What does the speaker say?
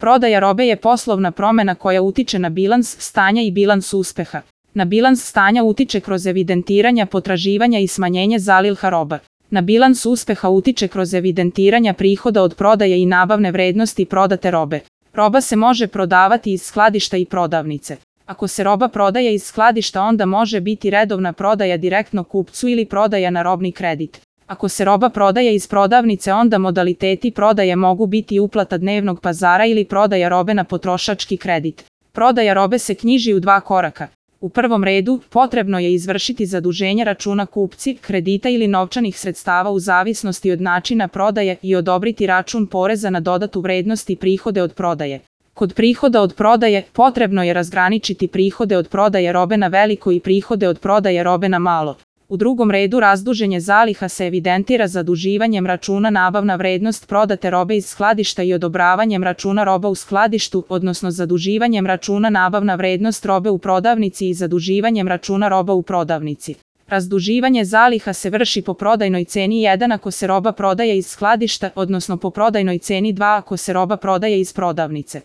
Prodaja robe je poslovna promena koja utiče na bilans stanja i bilans uspeha. Na bilans stanja utiče kroz evidentiranja potraživanja i smanjenje zaliha roba. Na bilans uspeha utiče kroz evidentiranja prihoda od prodaje i nabavne vrednosti prodate robe. Roba se može prodavati iz skladišta i prodavnice. Ako se roba prodaje iz skladišta, onda može biti redovna prodaja direktno kupcu ili prodaja na robni kredit. Ako se roba prodaje iz prodavnice, onda modaliteti prodaje mogu biti uplata dnevnog pazara ili prodaja robe na potrošački kredit. Prodaja robe se knjiži u 2 koraka. U prvom redu, potrebno je izvršiti zaduženje računa kupci, kredita ili novčanih sredstava u zavisnosti od načina prodaje i odobriti račun poreza na dodatu vrednost i prihode od prodaje. Kod prihoda od prodaje, potrebno je razgraničiti prihode od prodaje robe na veliko i prihode od prodaje robe na malo. U drugom redu, razduženje zaliha se evidentira zaduživanjem računa nabavna vrednost prodate robe iz skladišta i odobravanjem računa roba u skladištu, odnosno zaduživanjem računa nabavna vrednost robe u prodavnici i zaduživanjem računa roba u prodavnici. Razduživanje zaliha se vrši po prodajnoj ceni 1 ako se roba prodaje iz skladišta, odnosno po prodajnoj ceni 2 ako se roba prodaje iz prodavnice.